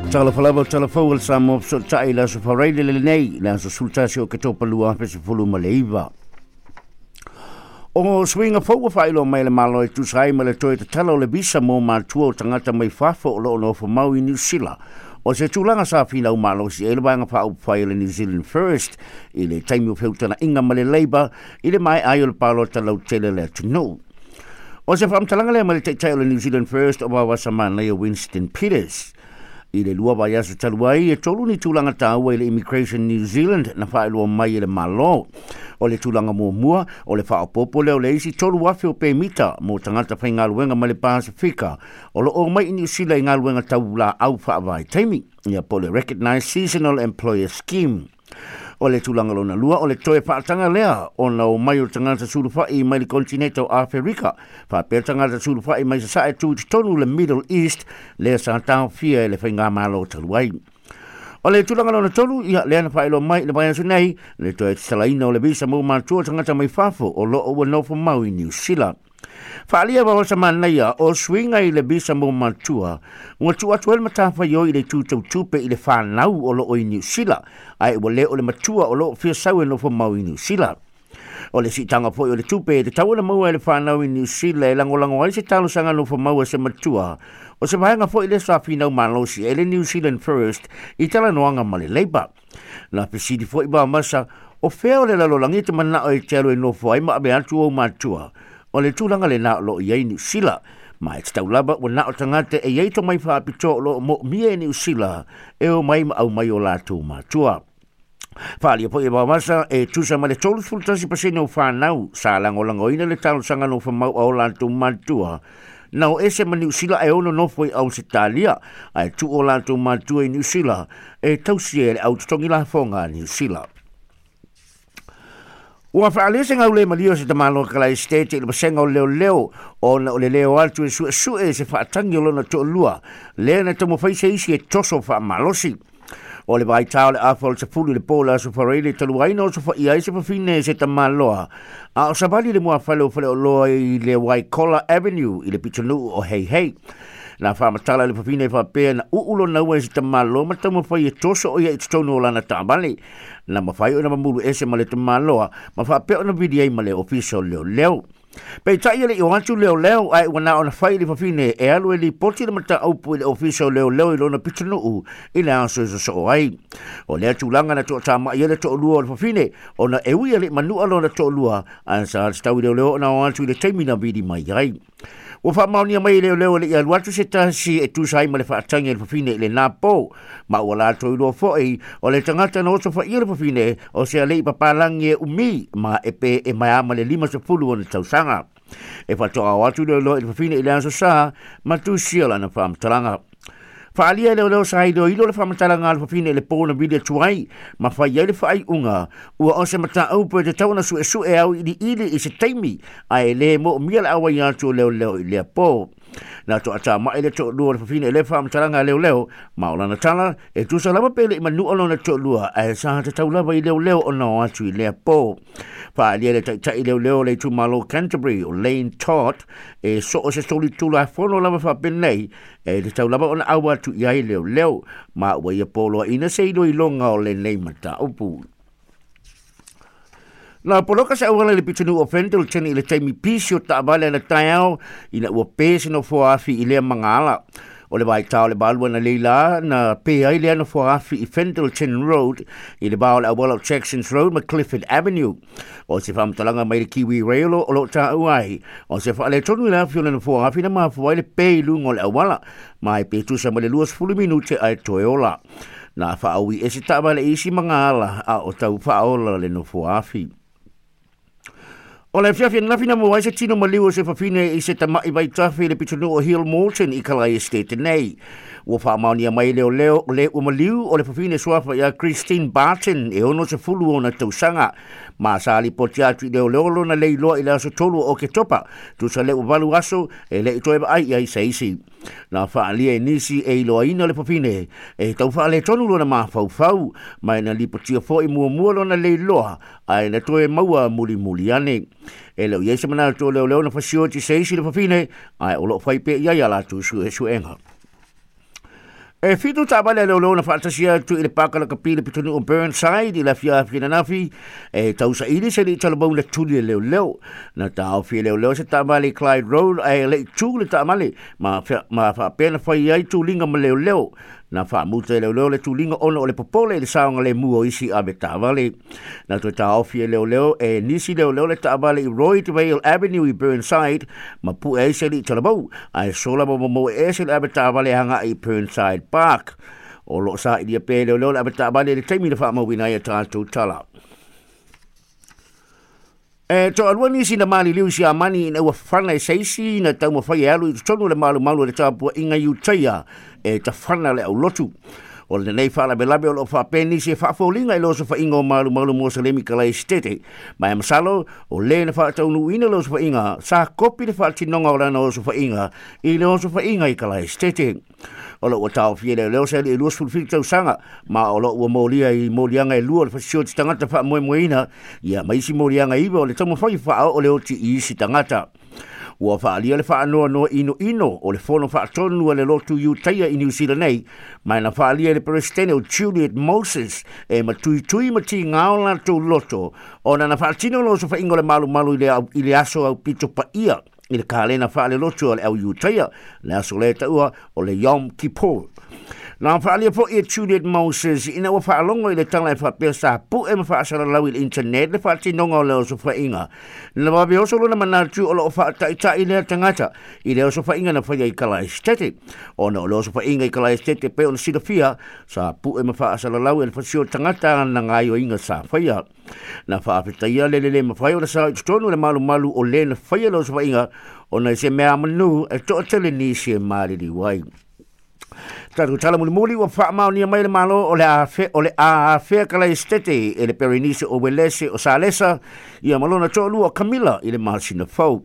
Talofa lava, talafou o le Samoa fesootai i le Aso Faraile lenei, le aso 11 Oketopa 2019. O suiga fou ua faailoa mai e le Malo e tusa ai ma le toe tatala o le visa mo matua o tagata mai fafo o lo o nofo mau i Niu Sila. O se tulaga sa finau malosi ai le Vaega Faaupufai o le New Zealand First i le taimi o feutagaiga ma le Labour i le maea ai o le palota lautele a le atunuu. O se faamatalaga lea mai le taitai o le New Zealand First o Vaovaasa Manaia Winston Peters. I le 2 vaiaso talu ai, e 3 ni tulaga taua i le Immigration New Zealand na faailoa mai e le Malo. O le tulaga muamua, o le faaopoopo lea o le isi 3,000 o pemita mo tagata faigaluega mai le Pasefika o lo o omai i Niu Sila i galuega tau laau faavaitaimi, ia po o le Recognised Seasonal Employer Scheme. O le tulaga lona lua, o le toe faataga lea ona omai o tagata sulufai mai le konetineta o Aferika, faapea tagata sulufai mai sasae tu i totonu le Middle East, lea sa taofia e le faigamalo talu ai. O le tulaga lona tolu, ia lea na faailoa mai i le vaiaso nei, le toe tatalaina o le visa mo matua o tagata mai fafo o lo o ua nofo mau i Niu Sila. Faaalia Vaovaosa Manaia, o suiga i le visa mo matua, ua tuu atu ai le matafaioi i le itu tau tupe i le fanau o lo o i Niu Sila, ae ua le o le matua o lo o fia sau e nofo mau i Niu Sila. O le siitaga foi o le tupe e tatau ona maua e le fanau i Niu Sila e lagolago ai se talosaga nofo mau a se matua, o se vaega foi lea sa finau malosi ai le New Zealand First i talanoaga ma le Labour. Na fesili foi Vaovaosa, o fea o le lalolagi e te manao e te alu e nofo ai ma ave atu ou matua? O le tulaga lena o lo o i ai Niu Sila. Ma e tatau lava ua na o tagata e i ai tomai faapitoa o lo o moomia e Niu Sila e omai ma aumai o latou matua. Faaalia foi e Vaovaosa, e tusa ma le 31% o fanau sa lagolagoina le talosaga nofo mau a o latou matua na o ese ma Niu Sila ae ono nofo i Ausetalia, ae tuu o latou matua i Niu Sila e tausia e le au totogi lafoga a Niu Sila. Ua faaalia se gaule malie o se tamaloa Kalaesetete i le vasega o leoleo ona o le leo atu e suesue se faatagi o lona toalua lea na taumafai se isi e toso faamalosi. O le vaitā o le afa o le 10 i le po o le Aso Faraile talu ai na osofaia ai se fafine e se tamaloa a o savali i le muafale o Faleoloa i le Waikola Avenue i le pitonuu o Heihei. Na faamatala le fafine e faapea na uu lona ua e se tamaloa ma taumafai e toso o ia i totonu o lana taavale. Na mafai ona mamulu ese ma le tamaloa ma faapea ona vili ai ma le ofisa o leoleo. Peitai e le i o atu leoleo ae ua na ona fai le fafine e alu e lipoti le mataupu i le ofisa o leoleo i lona pitonuu i le aso e sosoo ai. O lea tulaga na toatamai ai le toalua o le fafine ona e ui e le i manua lona toalua ae sa tatau i leoleo ona o atu i le taimi na vili mai ai. Ua faamaonia mai e leoleo e le i alu atu se tasi e tusa ai ma le faatagi a le fafine i lena po. Ma ua latou iloa foi, o le tagata na osofaia le fafine, o se alii papalagi e umi ma e pe e maea ma le 50 ona tausaga. E faatoa o atu leoleo i le fafine i le aso Sa ma tusia lana faamatalaga. Faaalia e leoleo sa iloilo le faamatalaga a le fafine i le po na vili atu ai ma fai ai le faaiuga ua o se mataupu e tatau ona suesue auiliili i se taimi ae le moomia le auai atu o leoleo i lea po. Na toatamai le toalua o le fafine i lea faamatalaga a leoleo ma o lana tala e tusa lava pe le i manua lona toalua ae sa tatau lava i leoleo ona o atu i lea po. Faaalia le taitai leoleo o le itumalo Canterbury o Lane Todd e so o se solitulafono lava faapenei e tatau lava ona ʻau atu i ai leoleo ma ua ia poloaiina se iloiloga o lenei mataupu. Na poloka se auala i le pitonuu o Pendleton i le taimi pisi o taavale ana taeao ina ua pē se nofoa afi i lea magaala. O le vaitā o le 8 ana leila na pē ai lea nofoa afi i Pendleton Road i le va o le auala o Jacksons Road ma Clifford Avenue. O se faamatalaga mai le Kiwi Rail o lo o taua ai, o se faaletonu i le afi o le nofoa afi na mafua ai le pē i luga o le auala, ma e pe tusa ma le 20 minute ae toe ola. Na faaui e se taavale i isi magaala a o tau faaola le nofoa afi. O le afiafi ananafi na maua ai se tino maliu o se fafine i se tama'i vaitafe i le pitonuu o Hillmorton i Kalae Estate nei. Ua faamaonia mai e leoleo o le ua maliu o le fafine suafa ia Christine Barton e 60 ona tausaga. Ma sa lipoti atu i leoleo lona leiloa i le aso 3 o Oketopa, tusa le ua 8 aso e le i toe vaai i ai se isi. Na faaalia e nisi e iloaina le fafine e tau faaletonu lona mafaufau, ma e na lipotia foi muamua lona leiloa ae na toe maua mulimuli ane. E le o i ai se manatu o leoleo na fasioti se isi le fafine, ae o lo o fai pea i ai a latou suesuega. E 7 taavale a leoleo na faatasia atu i le paka lakapi i le pitonuu o Burnside i le afiafi ananafi e tausaili se li'i talavou na tuli e leoleo. Na taofi e leoleo se taavale i Clyde Road ae le'i tu le taavale ma faapea na fai ai tuliga ma leoleo. Na faamuta e leoleo le tuliga ona o le popole i le saogalemu o isi ave taavale. Na toe taofi e leoleo e nisi leoleo le taavale i Roydvale Avenue i Burnside ma pue ai se li'i talavou, ae sola ma momoe ese le ave taavale aga'i i Burnside Park. O loo sailia pea e leoleo le ave taavale i le taimi na faamauina ai a tatou tala. E toalua nisi na maliliu i Siamani ina ua fana e se isi na taumafai e alu i totonu o le malumalu o le tapuaʻiga i Utaia e tafana le aulotu. O lenei faalavelave o loo faapea nisi e faafoliga i le osofaiga o malumalu Mosalemi Kalaesetete, ma e masalo o lē na faataunuuina le osofaiga sa kopi le faatinoga o lana osofaiga i le osofaiga i Kalaesetete. O loo ua taofia leoleo se alii e 27 tausaga, ma o loo ua molia i moliaga e 2 o le fasioti tagata faamoemoeina, ia ma isi moliaga 9 o le taumafai faaoo le oti i isi tagata. Ua faaalia le faanoanoa inoino o le fono faatonu a le lotu Iutaia i Niu Sila nei, ma na faaalia e le peresetene o Juliet Moses e matuitui ma tigā o latou loto ona na faatino le osofaiga o le malumalu i le aso aupito paia i le kalena faalelotu o le au Iutaia, le aso lea taua o le Yom Kippur. Na faaalia foʻi e Juliet Moses ina ua faalogo i le tala e faapea sa puʻe ma faasalalau i le internet le faatinoga o le osofaiga. Na vave oso lona manatu o loo faataʻitaʻi lea tagata i le osofaiga na faia i Kalaesetete, ona o le osofaiga i Kalaesetete pe ona silafia sa puʻe ma faasalalau e le fasio tagata na gaioiga sa faia. Na faafetaia le lelē mafai ona sao i totonu le malumalu o lē na faia le osofaiga ona i se mea amanū e toʻatele nisi e maliliu ai. Tatou tala mulimuli, ua faamaonia mai le Malo o le afe o le a afea Kalaesetete e le Perenise o Welese o Salesa ia ma lona toalua o Kamila i le masina fou.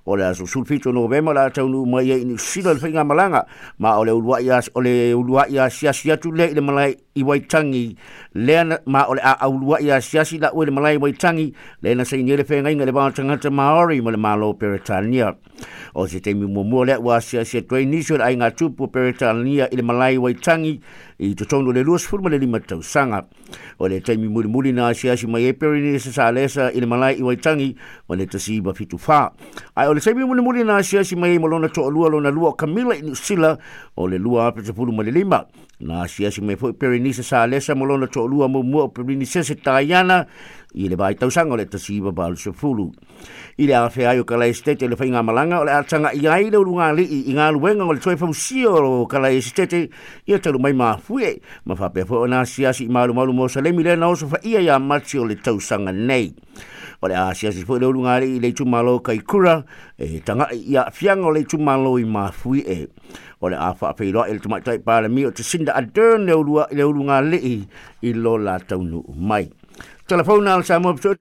O le aso 17 Novema le a taunuu mai ai i Niu Sila le faigamalaga, ma o le uluaʻi asiasi atu lea i le malae i Waitangi lea, ma o le a auluaʻi asiasi laʻu i le malae i Waitangi lea na sainia le feagaiga i le va o tagata Maori ma le Malo Peretania. O se taimi muamua lea ua asiasi atu ai nisi o le aiga tupu o Peretania i le malae i Waitangi i totonu o le 25 tausaga. O le taimi mulimuli na asiasi mai ai Perenise Salesa i le malae i Waitangi o le 1974. Ae o le taimi mulimuli na asiasi mai ai ma lona toalua lona lua o Kamila i Niu Sila o le 2015. Na asiasi mai foi Perenise Salesa ma lona toalua muamua o Perenisese Taiana i le vaitausaga o le 1980. I le afea ai o Kalaesetete le faigamalaga, o le a tagaʻi ai le ulugalii i galuega o le toe fausia o Kalaesetete ia talu mai mafuie, ma faapea foi ona asiasi i malumalu Mosalemi lea na osofaia iā Mati o le tausaga nei. O le a asiasi foi le ulugalii i le itumalo Kaikura e tagaʻi i aafiaga o le itumalo i Mafuiʻe. O le a faafeiloaʻi le tamaitai Palemia o Jacinda Ardern le ulugalii i lo la taunuu mai. Telefona al Samoa.